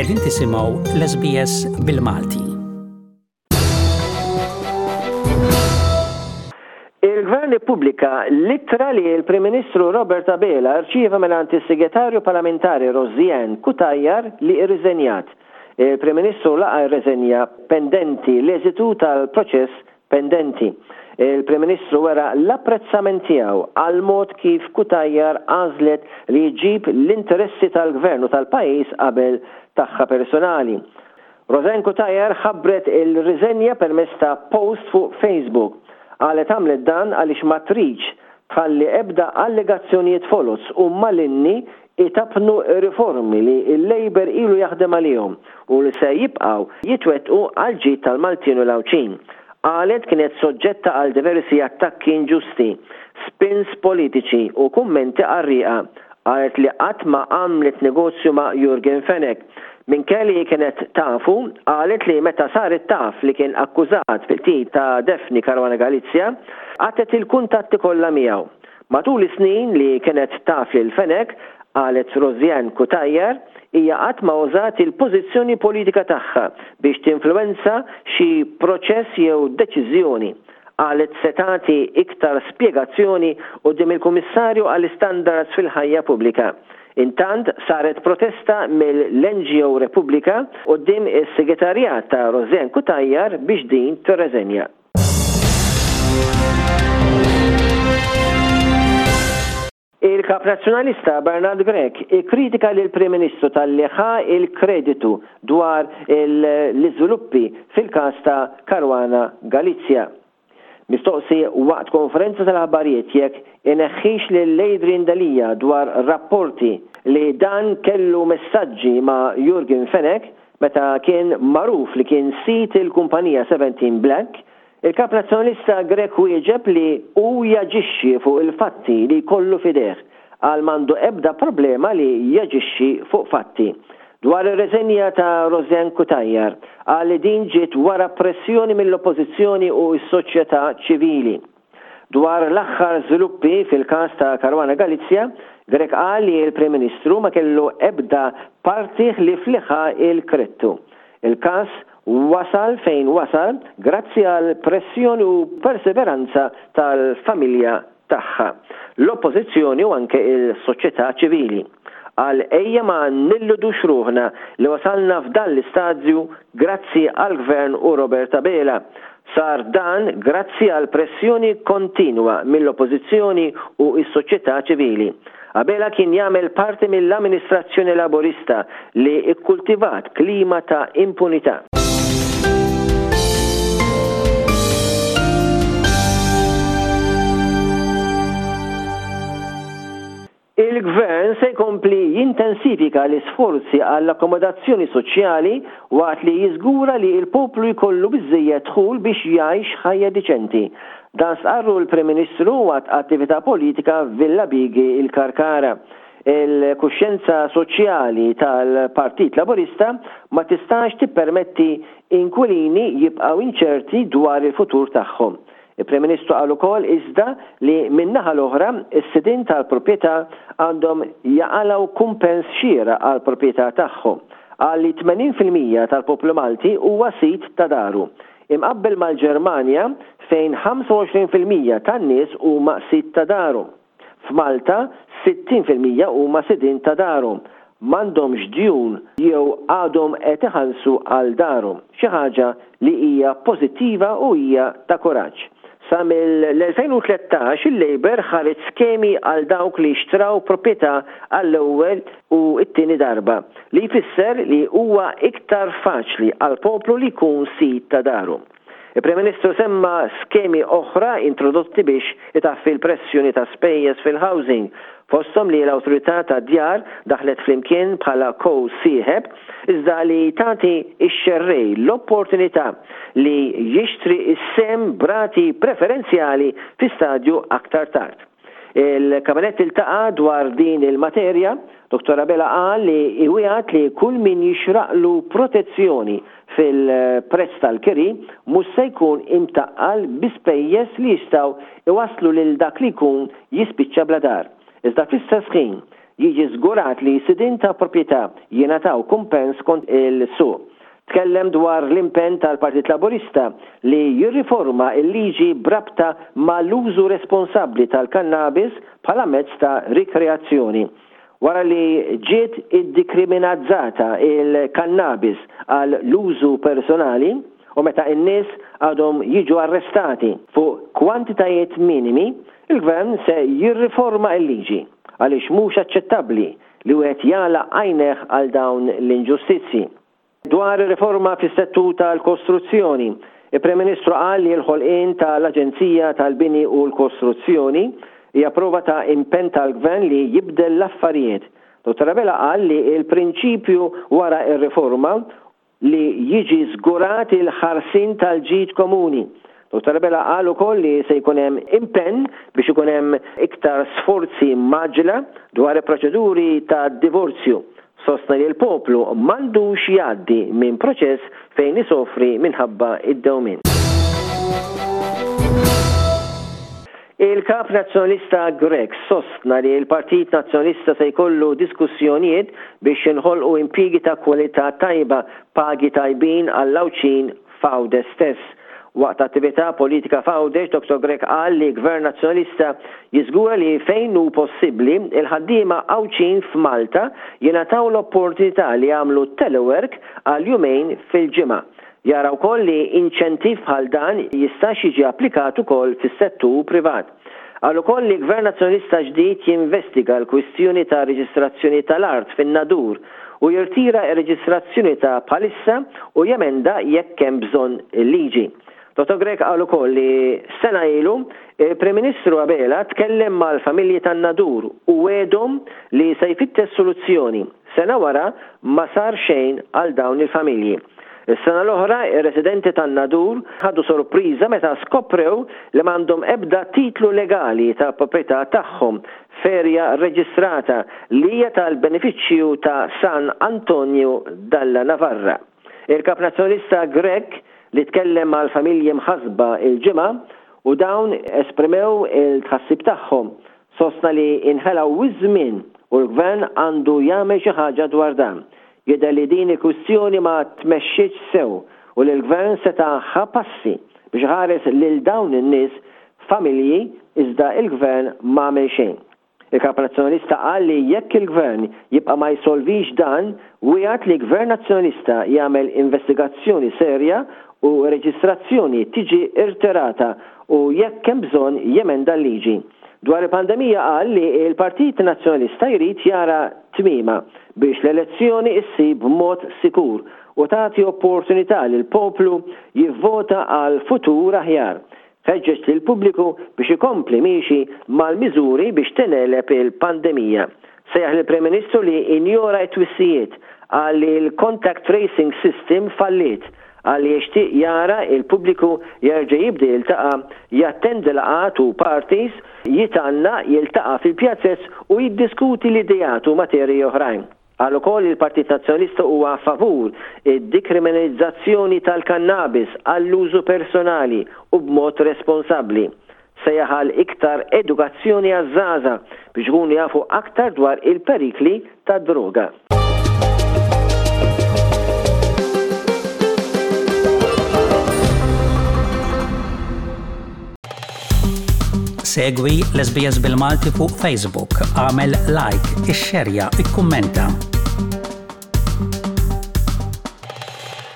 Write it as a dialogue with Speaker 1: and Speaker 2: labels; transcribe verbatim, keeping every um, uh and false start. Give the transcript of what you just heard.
Speaker 1: Qegħdin tisimgħu l-S B S bil-Malti.
Speaker 2: Il-Gvern ippubblika l-ittra li l-Prim Ministru Robert Abela rċieva mingħand is-Segretarju Parlamentari Rosianne Cutajar li irriżenjat. Il-Prim Ministru laqa r-reżenja pendenti l-eżitu tal-proċess pendenti. Il-Prim Ministru wera l-apprezzament tiegħu għal mod kif Cutajar għażlet li jġib l-interessi tal-gvern u tal-pajjiż qabel tagħha personali. Rosianne Cutajar ħabbret il-riżenja permezz ta' post fuq Facebook. Qalet għamlet dan għaliex ma tridx tħalli ebda allegazzjonijiet foloz u malinni itappnu riformi li il-Labour ilu jaħdem għalihom u li se jibqgħu jitwettqu għal ġid tal-Maltin u l-Għawdxin. Qalet kienet soġġetta għal diversi attakki inġusti, spins politiċi u kummenti qarrieqa. Qalet li qatt ma għamlet negozju ma' Yorgen Fenech. Minkejja li kienet tafu, qalet li meta saret taf li kien akkużat fil-qtil ta' Daphne Caruana Galizia, qatgħet il-kuntatti kollha miegħu. Matul is-snin li kienet taf lil Fenech, qalet Rosianne Cutajar, hija qatt ma użat il-pożizzjoni politika tagħha biex tinfluwenza xi proċess jew deċiżjoni. Qalet se tagħti iktar spjegazzjoni quddiem il-Kummissarju għall-Istandards fil-ħajja pubblika. Intant saret protesta mill-N G O Repubblika quddiem is-segretarjat ta' Rosianne Cutajar biex din tirreżenja. Il-kap nazzjonalista Bernard Grech ikkritika lil prim Ministru talli ħa il-kreditu dwar l-iżviluppi fil-każ ta' Caruana Galizia. Mistoqsi waqt konferenza tal-aħbarijiet jekk ineħħix lil Adrian Delia dwar rapporti li dan kellu messaġġi ma' Yorgen Fenech meta kien magħruf li kien sid il-kumpanija seventeen Black, il-kap nazzjonalista Grech wieġeb li hu jaġixxi fuq il-fatti li kollu f'idejh, qal m'għandu ebda problema li jaġixxi fuq fatti. Dwar ir-reżenja ta' Rosianne Cutajar, qal li din ġiet wara pressjoni mill-oppożizzjoni u s-soċjetà ċivili. Dwar l-aħħar żviluppi fil-każ ta' Caruana Galizia, Grech qal li l-Prim Ministru ma kellu ebda parti li ħa il-kredtu. Il-każ wasal fejn wasal grazzi għal pressjoni u perseveranza tal-familja tagħha, l-oppożizzjoni u anke il-soċjetà ċivili. Qal ejja ma nilludux ruħna li wasalna f'dan l-istadju grazzi għal gvern u Robert Abela. Sar dan grazzi għal pressjoni kontinwa mill-oppożizzjoni u s-soċjetà ċivili. Abela kien jagħmel parti mill-amministrazzjoni laborista li ikkultivat klima ta' impunità. Il-gvern se jkompli jintensifika l-isforzi għall-akkomodazzjoni soċjali waqt li jiżgura li l-poplu jkollu biżejjed dħul biex jgħix ħajja diċenti. Dan stqarru l-Prim Ministru waqt attività politika Villa Bigi, il-Karkara. Il-kuxjenza soċjali tal-Partit Laburista ma tistax tippermetti inkwilini jibqgħu inċerti dwar il-futur tagħhom. Il-Prim Ministru qal ukoll iżda li min-naħa l-oħra is-sidin tal-proprjetà għandhom jaqalgħu kumpens xieraq għal proprjetà tagħhom. Qal li tmenin fil-mija tal-poplu Malti huwa sid ta' daru. Imqabbel mal-Ġermanja, fejn ħamsa u għoxrin fil-mija tan-nies huma sid ta' daru. F'Malta sittin fil-mija huma sidin ta' darhom, m'għandhomx djun jew għadhom qed iħallsu għal darhom, xi ħaġa li hija pożittiva u hija ta' kuraġġ. Sa mill-elfejn u tlettax il-Labour ħareġ skemi għal dawk li xtraw proprjetà għall-ewwel u t-tieni darba, li jfisser li huwa iktar faċli għal poplu li jkun sid ta' daru. Il-Prim Ministru semma skemi oħra introdotti biex itaffi l-pressjoni ta' spejjeż fil-housing, fosthom li l-awtorità ta' djar daħlet flimkien bħala co-sieħeb, iżda li tagħti ix-xerrej l-opportunità li jixtri is-sehem b'rati preferenzjali fi stadju aktar tard. Il-Kabinett iltaqa' dwar din il-materja. Dottor Abela qal li iwiegħed li kull min jixraqlu protezzjoni fil-prezz tal-kiri mhux se jkun imtaqqal bi spejjeż li jistgħu iwaslu lil dak li jkun jispiċċa bla dar. Iżda fl-istess ħin jiġi żgurat li sidin ta' proprjetà jingħataw kumpens skont il-suq. Tkellem dwar l-impenn tal-Partit Laburista li jirriforma il-liġi b'rabta mal-użu responsabbli tal-kannabis bħala mezz ta' rikreazzjoni. Wara li ġiet iddikriminalizzata il-kannabis għal l-użu personali u meta n-nies għadhom jiġu arrestati fuq kwantitajiet minimi, il-gvern se jirriforma il-liġi għaliex mhux aċċettabbli li wieħed jagħlaq għajnejh għal dawn l-inġustizzji. Dwar riforma fis-settur tal-kostruzzjoni, il-Prim Ministru qal li l-ħolqien tal-Aġenzija tal-Bini u l-Kostruzzjoni hija prova ta' impenn tal-gvern li jibdel l-affarijiet. Dottor Abela qal li il-prinċipju wara ir-riforma li jiġi żgurat il-ħarsien tal-ġid komuni. Dottor Abela qal ukoll li se jkun hemm impenn biex ikun hemm iktar sforzi mgħaġġla dwar il-proċeduri ta' divorzju. Sostna li l-poplu m'għandux jgħaddi minn proċess fejn isofri minħabba id-dewmien. Il-kap nazzjonalista Grech sostna li l-Partit Nazzjonalista se jkollu diskussjonijiet biex jinħolqu impjiegi ta' kwalità tajba, pagi tajbin għall-Għawdxin f'Għawdex stess. Waqt attività politika f'Għawdex, Dottor Grech qal li Gvern Nazzjonalista jiżgura li fejn hu possibbli il-ħaddiema Għawdxin f'Malta jingħataw l-opportunità li jagħmlu telework għal jumejn fil-ġimgħa. Jara wkoll li inċentiv bħal dan jistax jiġi applikat ukoll fis-settur privat. Qal ukoll li Gvern Nazzjonalista ġdid jinvestiga l-kwistjoni ta' reġistrazzjoni tal-art fin-Nadur u jirtira r-reġistrazzjoni ta' bħalissa u jemenda jekk hemm bżonn il-liġi. Dottor Grech qal ukoll li sena ilu il-Prim Ministru Abela tkellem mal-familji tan-Nadur u wegħedhom li se jfittex soluzzjoni. Sena wara ma sar xejn għal dawn il-familji. Is-sena l-oħra, ir-residenti tan-Nadur ħadu sorpriża meta skoprew li m'għandhom ebda titlu legali ta' proprjetà tagħhom f'erja reġistrata li hija tal-benefiċċju ta' San Antonio dalla Navarra. Il-Kap Nazzjonalista Grech li tkellem mal-familji mħasba il-ġimgħa u dawn esprimew il-tħassib tagħhom, sostna li inħela iż-żmien u l-gvern għandu jagħmel xi ħaġa dwar dan. Jidher li din il-kwistjoni ma tmexxietx sew u li l-gvern seta' ħa passi biex iħares lil dawn in-nies familji iżda il-gvern ma għamel xejn. Il-Kap Nazzjonalista qal li jekk il-gvern jibqa' ma jsolvix dan, wiegħed li Gvern Nazzjonalista jagħmel investigazzjoni serja u reġistrazzjoni tiġi irtirata u jekk hemm bżonn jemenda l-liġi. Dwar il-pandemija qal li l-Partit Nazzjonalista jrid jara tmiema biex l-elezzjoni issir b'mod sikur u tagħti opportunità lil poplu jivvota għal futur aħjar. Ħeġġeġ lil pubbliku biex ikompli miexi mal-miżuri biex tingħeleb il-pandemija. Sejjaħ lill-Prim Ministru li injora t-twissijiet, qal li l-contact tracing system falliet, qal li jixtieq jara il-pubbliku jerġa' jibda jiltaqa', jattendi laqgħat u parties, jitgħannaq, jiltaqa' fil-pjazzez u jiddiskuti l-ideat u materji oħrajn. Qal ukoll li l-Partit Nazzjonalista huwa favur id-dikriminalizzazzjoni tal-kannabis għall-użu personali u b'mod responsabbli. Sejjaħ għal iktar edukazzjoni għaż-żgħażagħ biex ikunu jafu aktar dwar il-perikli tad-droga.
Speaker 1: Segwi l-S B S bil-Malti fuq Facebook, għamel like, ixxerja, ikkummenta.